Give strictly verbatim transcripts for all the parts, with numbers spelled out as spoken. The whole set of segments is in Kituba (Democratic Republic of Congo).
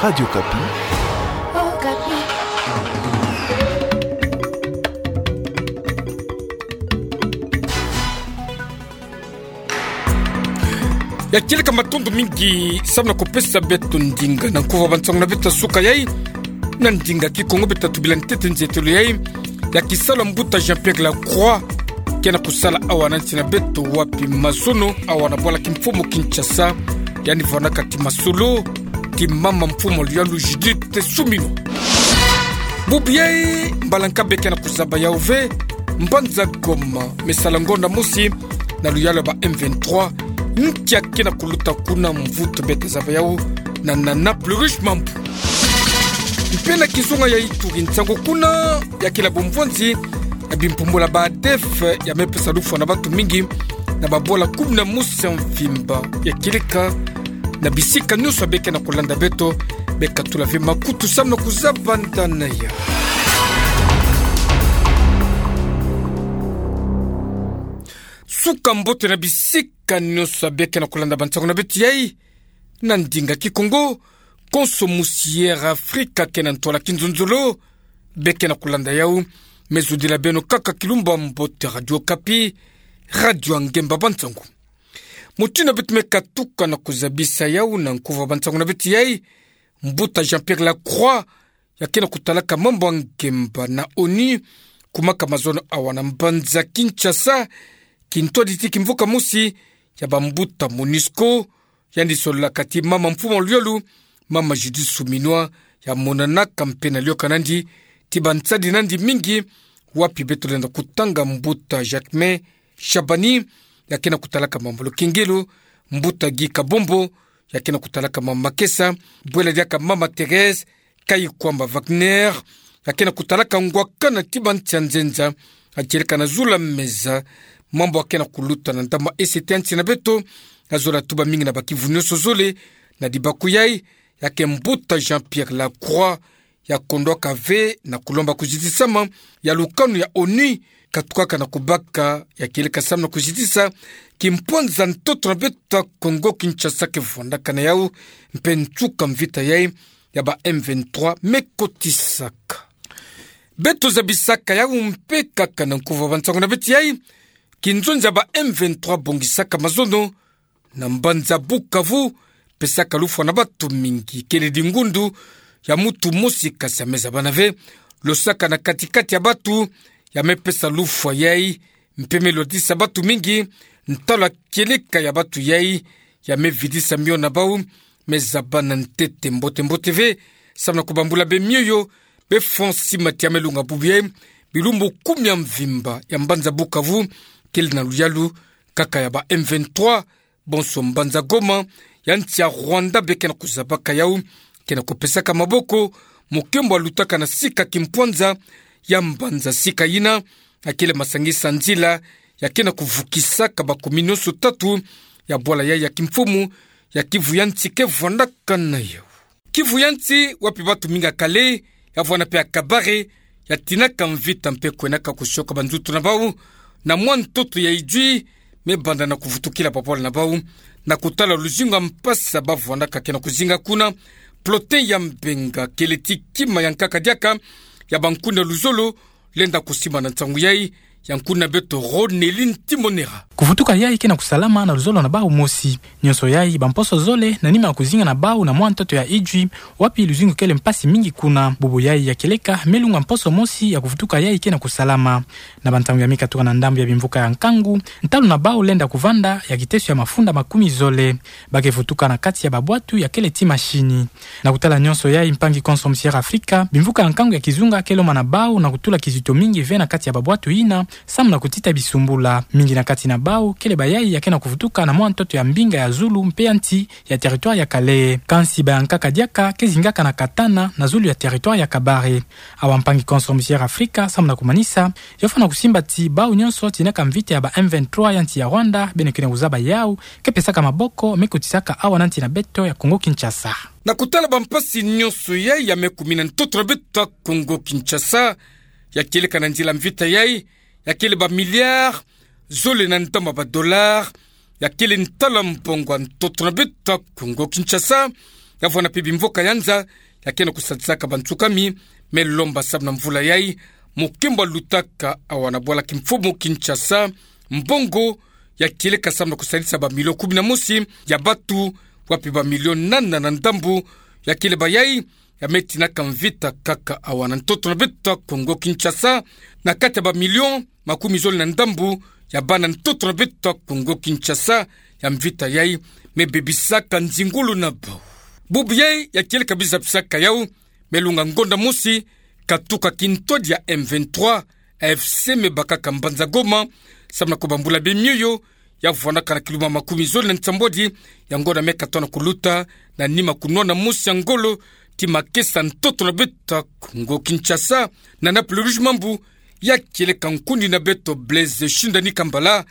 Radio Okapi. Ya kieleka matondo mingi samu na kupesa beto ndinga na nkufi wa bansango na beto ya suka yayi. Na ndinga Kikongo beto tubila ntete nzeitulu yayi ya kisalu ya mbuta Jean-Pierre Lacroix, ke na kusala awa na nsi na beto, wapi mazono awa na bwala kimfumu Kinshasa, yandi vwanaka ti masolo ti mama mfumu luyalu Judith Suminwa. Bubu yayi, mbala nka beke na kuzaba yawu ve, mbanza Goma me sala ngonda mosi na luyalu ya ba M vingt-trois, nkia ke na kuluta kuna, mvutu beke zaba yawu na Nana Plurish Mambu. Mpe na kizunga ya Ituri, nsangu kuna ya kila bumvwanzi ya bimpumbulu ya ba ADF ya me pesa lufwa na bantu mingi na babwala kumi na mosi ya mvimba. Ya kieleka na bisika nyonso ya beke na kulanda beto, beka tula ve makutu samu na kuzaba nda na yawu. Suka mbote na bisika nyonso ya beke na kulanda bansango na beto yayi na ndinga Kikongo. Konso musi Air Africa ke na ntwala kinzonzolo, beke na kulanda yawu. Me zudila beno kaka kilumbu ya mbote. Radio Okapi, radio ya ngemba bansango. Mutindu beto me katuka na kuzabisa yawu na nkufi wa bansango na beto yayi, mbuta Jean-Pierre Lacroix, ya ke na kutalaka mambu ya ngemba na ONU, kumaka mazono awa na mbanza Kinshasa, kintwaditi kimvuka mosi ya bambuta MONUSCO, yandi sololaka ti mama mfumu luyalu, mama Judith Suminwa, ya monanaka mpe na liyokani nandi ti bansadi nandi mingi, wapi beto lenda kutanga mbuta Jacquemain Shabani, ya ke na kutalaka mambu ya lukengelo, mbuta Guy Kabombo, ya ke na kutalaka mambu makesa, bwela diaka mama Thérèse Kayikwamba Wagner, ya ke na kutalaka ngwakana ti bansi ya nzenza, ya kieleka na zulu ya meza, mambu ya ke na kuluta na ndambu ya esete ya nsi na beto, ya zola tuba mingi na bakivu nyonso zole. Na dibaku yayi, ya ke mbuta Jean-Pierre Lacroix, ya kondwaka ve na kulomba kuzitisama ya lukanu ya ONU, katukaka na kubaka, ya kieleka samu na kuzitisa kimpwanza ntoto na beto ya Kongo Kinshasa ke vwandaka na yawu, mpe nsuka mvita yayi ya ba M vingt-trois me kotisaka. Beto zabisaka yawu mpe kaka na nkufi wa bansango na beto yayi, kinzonzi ya ba M vingt-trois bongisaka mazono na mbanza Bukavu, pesaka lufwa na bantu mingi. Kele dingundu ya muntu mosi, kasi ya me zabana ve, losaka na kati-kati ya bantu ya me pesa lufwa yayi, mpe me lwatisa bantu mingi. Ntalu ya kieleka ya bantu yayi ya me vidisa mio na bawu, me zabana ntete mbote-mbote ve, samu na kubambula bemioyo. Befwa nsi mati ya me lunga bubu yayi, bilumbu kumi ya mvimba ya mbanza Bukavu kele na luyalu kaka ya ba M vingt-trois. Bonso mbanza Goma ya nsi ya Rwanda beke na kuzabaka yawu, ke na kupesaka maboko, mokembo ya lutaka na sika kimpwanza ya mbanza sika yina, ya kele masangisa nzila ya ke na kuvukisaka bakomi nyonso tatu ya bwala yayi ya kimfumu ya Kivu ya nsi ke vwandaka na yawu. Kivu ya nsi, wapi bantu mingi ya Kale, ya vwanda mpe ya Kabare, ya tinaka mvita mpe kwenaka kusioka banzutu na bawu na mwa ntoto ya Idjwi, me banda na kuvutukila babwala na bawu. Na kutala luzingu ya mpasi ba vwandaka ke na kuzinga kuna, Plotin ya Mbenga, kele ti kima ya nkaka diaka ya bankuni ya luzolo, lenda kusimba na nsangu yayi, ya nkuni na beto Ronelin Timonera. Kuvutuka yayi ke na kusalama na luzolo na bawu mosi. Nyonso yayi, bamposo zole, na nima ya kuzinga na bawu na mwa ntoto ya Idjwi, wapi luzingu kele mpasi mingi kuna. Bubu yayi ya kieleka, me lunga mposo mosi ya kuvutuka yayi ke na kusalama. Na bantangu ya mika tuka na ndambu ya bimvuka ya nkangu, ntalu na bawu lenda kuvanda ya kiteso ya mafunda makumi zole. Ba ke vutuka na kati ya babwatu ya kele ti mashini. Na kutala nyonso yayi, mpangi konso musi Air Africa, bimvuka ya nkangu ya kizunga ke lomana bawu na kutula kizito mingi ve na kati ya babwatu yina, samu na kutita bisumbula. Mingi na kati na bawu kele bayayi ya ke na kuvutuka na mwa ntoto ya mbinga ya zulu mpe ya nsi ya territoire ya Kale. Kansi bayankaka diaka ke zingaka na Katana, na zulu ya territoire ya Kabare. Awa mpangi konso musi Air Africa, samu na kumanisa, yofo na kusimba ti bawu nyonso tinaka mvita ya ba M vingt-trois ya nsi ya Rwanda, beno ke na kuzaba yawu, ke pesaka maboko, me kotisaka awa na nsi na beto ya Congo-Kinshasa. Na kutala bampasi nyonso yayi ya me kumina ntoto na beto ya Congo-Kinshasa, ya kieleka na nzila mvita yayi, ya kele ba milliards zole na ntama ba dollars, ya kele ntalu ya mbongo ya ntoto na beto ya Congo-Kinshasa, ya vwanda mpe bimvoka ya nza ya kena kusadisaka bansuka mi, me lomba samu na mvula yai, mokembo alutaka awa na bwala kimfumu Kinshasa, mbongo ya kieleka samu na kusadisa ba million kumi na mosi ya batu, wapi ba million nana na ndambu ya kieleka yai ya me tinaka mvita kaka awa na ntoto na beto ya Kongo Kinshasa, na kati ya ba million makumi zole na ndambu ya bana ntoto na beto ya Kongo Kinshasa, ya mvita yai me bebisaka nzingulu na bau. Bubu yai ya kieleka biza bisaka yau, me lunga ngonda mosi, katuka kintwadi ya M vingt-trois, A F C me bakaka mbanza Goma, samu na kubambula bemioyo, ya vwandaka na kiluma makumi zole na nsambwadi ya ngonda me katona kuluta, na nima kunwana mosi ya ngolo, ti makesa ntoto na beto ya Kongo Kinshasa, na Naples Rouge Mambu, ya kieleka nkundi na beto Blaise Shindani Kambala,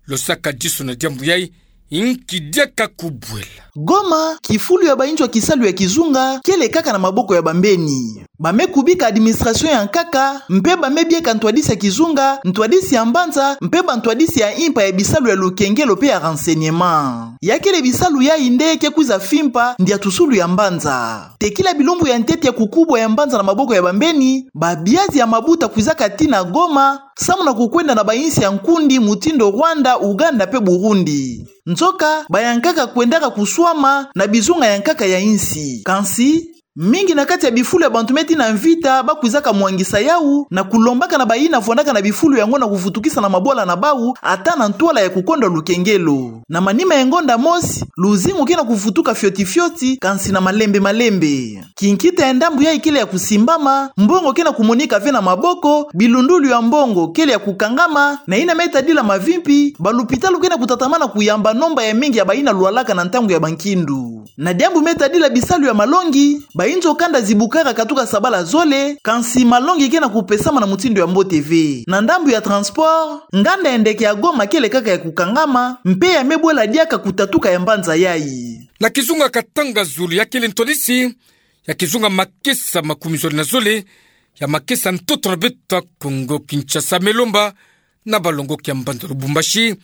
lo sakadiso na diambu yai, inki diaka kubwela. Goma, kifulu ya bainzo ya kisalu ya kizunga, kele kaka na maboko ya bambeni. Ba me kubika administration ya nkaka, mpe ba me bieka ntwadisi ya kizunga, ntwadisi ya mbanza, mpe bantwadisi ya impa ya bisalu ya lukengelo mpe ya renseignement. Ya kele bisalu yai nde ke kwiza fimpa ndiatusulu ya mbanza. Tekila bilumbu ya ntete ya kukubwa ya mbanza na maboko ya bambeni, ba biazi ya mabuta kwizaka tii na Goma, samu na kukwenda na bainsi ya nkundi mutindu Rwanda, Uganda mpe Burundi. Nzoka, ba ya nkaka kwendaka kuswama na bizunga ya nkaka ya insi. Kansi, mingi na kati ya bifulu ya bantu me tii na mvita, ba kwizaka mwangisa yau, na kulombaka na bayina vwandaka na bifulu yango na kuvutukisa na mabwala na bau, ata na ntwala ya kukondwa lukengelo. Na manima ya ngonda mosi, luzingu ke na kuvutuka fioti fioti, kansi na malembe malembe. Kinkita ya ndambu yai kele ya kusimbama, mbongo ke na kumonika ve na maboko, bilundulu ya mbongo kele ya kukangama, na yina me tadila mavimpi, balupitalu ke na kutatamana kuyamba nomba ya mingi ya bayina lwalaka na ntangu ya bankindu. Na diambu me tadila bisalu ya malongi, bainzo kanda zibukaka katuka sabala zole, kansi malongi ke na kupesama na mutindu ya mbote ve. Na ndambu ya transport, nganda ya ndeke ya Goma kele kaka ya kukangama, mpe ya me bwela diaka kutatuka ya mbanza yai. Na kizunga Katanga Zulu ya kele ntwadisi ya kizunga makesa makumi zole na zole, ya makesa ntoto na beto ya Kongo Kinshasa me lomba na balongoki ya mbanza Lubumbashi,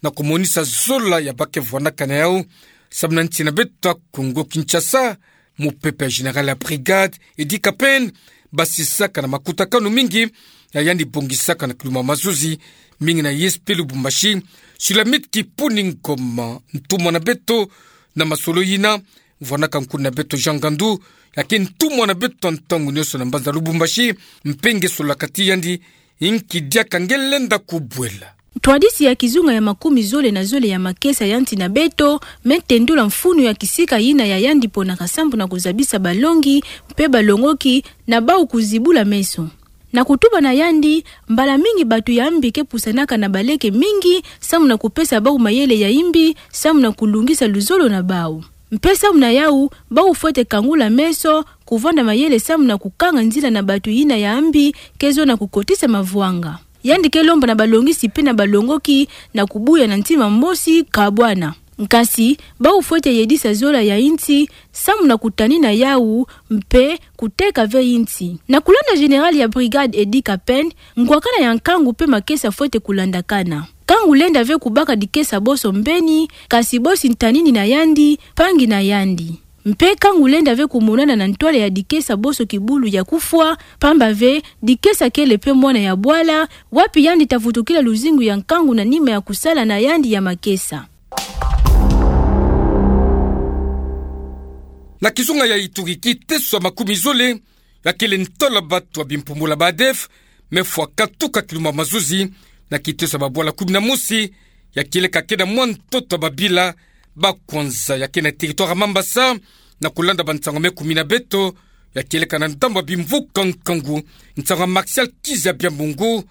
na kumonisa zola ya ba ke vwandaka na yau, samu na nsi na beto ya Kongo Kinshasa, mupepe ya général ya brigade, Eddy Kapend, basisaka na makutakanu mingi, ya yandi bongisaka na kiluma mazuzi, mingi na I S P Lubumbashi, Sulamit Kipuni Ngoma, ntumwa na beto, na masolo yina, vwandaka nkundi na beto Jean Ngandu, ya ke ntumwa na beto ntangu nionso na mbanza Lubumbashi, mpe nge solaka ti yandi, inki diaka nge lenda kubwela. Ntwadisi ya kizunga ya makumi zole na zole ya makesa ya nsi na beto, me tendula mfunu ya kisika yina ya yandi ponaka samu na kuzabisa balongi, mpe balongoki, na bau kuzibula meso. Na kutuba na yandi, mbala mingi batu ya mbi ke pusanaka na baleke mingi, samu na kupesa bau mayele ya imbi, samu na kulungisa luzolo na bau. Mpe samu na yau, bau fwete kangula meso, kuvanda mayele samu na kukanga nzila na batu yina ya mbi, ke zo na kukotisa mavwanga. Yandi ke lomba na balongisi mpe na balongoki, na kubuya na ntima mosi kabwana. Nkasi, bau fwete yedisa zola ya insi, samu na kutanina yau, mpe kuteka ve insi. Na kulanda général ya brigade Eddy Kapend, ngwakana ya nkangu mpe makesa fwete kulandakana. Nkangu lenda ve kubaka dikesa boso mbeni, kasi bosi ntanini na yandi, mpangi na yandi. Mpe nkangu lenda ve kumonana na ntwala ya dikesa boso kibulu ya kufwa, pamba ve, dikesa kele mpe mwana ya bwala, wapi yandi ta vutukila luzingu ya nkangu na nima ya kusala na yandi ya makesa. Na kizunga ya Ituri, kiteso ya makumi zole ya kele ntola batu ya bimpumbula ba ADF, me fwa katuka kiluma mazuzi, na kiteso ya babwala kumi na mosi, ya kieleka ke na mwa ntoto ya babila ba kwanza ya ke na territoire ya Mambasa, na kulanda bansango me kumi na beto, ya kieleka na ndambu ya bimvuka nkangu, nsango ya Martial Kizabia Mungu,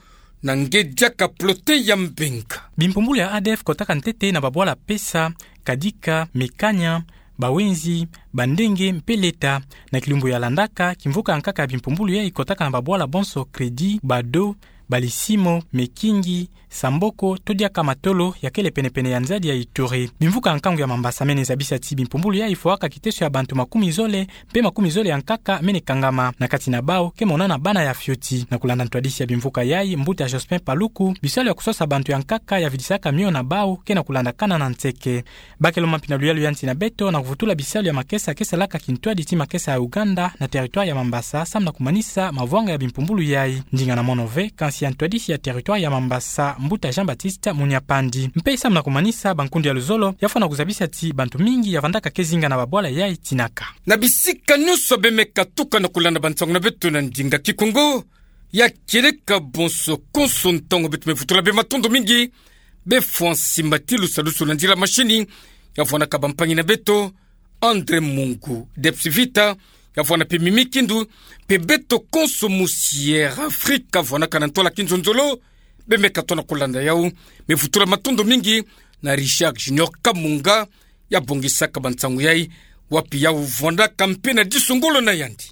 na nge diaka Plote ya Mbenga. Bimpumbulu ya ADF kotaka ntete na babwala Pesa, Kadika, Mekania, Bawenzi, Bandenge, mpe Leta, na kilumbu ya landaka, kimvuka ya nkaka ya bimpumbulu yai kotaka na babwala bonso Crédit, Bado, Balisimo, Mekingi, Samboko, to diaka Matolo, ya kele pene-pene ya nzadi ya Ituri. Bimvuka ya nkangu ya Mambasa mene zabisa ti bimpumbulu yai fwaka kiteso ya bantu makumi zole, mpe makumi zole ya nkaka mene kangama. Na kati na bau, ke monana bana ya fioti. Na kulanda ntwadisi ya bimvuka yai, mbuta Jospin Paluku, bisalu ya kusosa bantu ya nkaka ya vidisaka mio na bau, ke na kulandakana na nseke. Bakelo mampina luyalu ya nsi na beto, na kuvutula bisalu ya makesa ke salaka kintwadi ti makesa ya Uganda, na territoire ya Mambasa, samu na kumanisa mavwanga ya bimpumbulu yai. Ndinga na mono ve, kansi ya ntwadisi ya territoire ya Mambasa, mbuta Jean-Baptiste Munyapandi. Mpe samu na kumanisa bankundu ya luzolo, ya fwana kuzabisa ti bantu mingi ya vandaka ke zinga na babwala yai tinaka. Na bisika nyonso bemeka tuka na kulanda bansangu na beto na ndinga Kikongo, ya kieleka bonso konso ntangu beto me vutula bê matondo mingi, bê fwa nsimbatilu salusu na nzila mashini, ya vwanaka bampangi na beto, André Mungu, Debs Vita, ya vwana mpe Mimi Kindu, mpe beto konso musi Air Afrika vwanaka na ntwala kinzonzolo, bemeka tona kulanda yau, me vutula matondo mingi, na Richard Junior Kamunga, ya bongisaka bansangu yai, wapi yau vwanaka mpe na disu ngolo na yandi.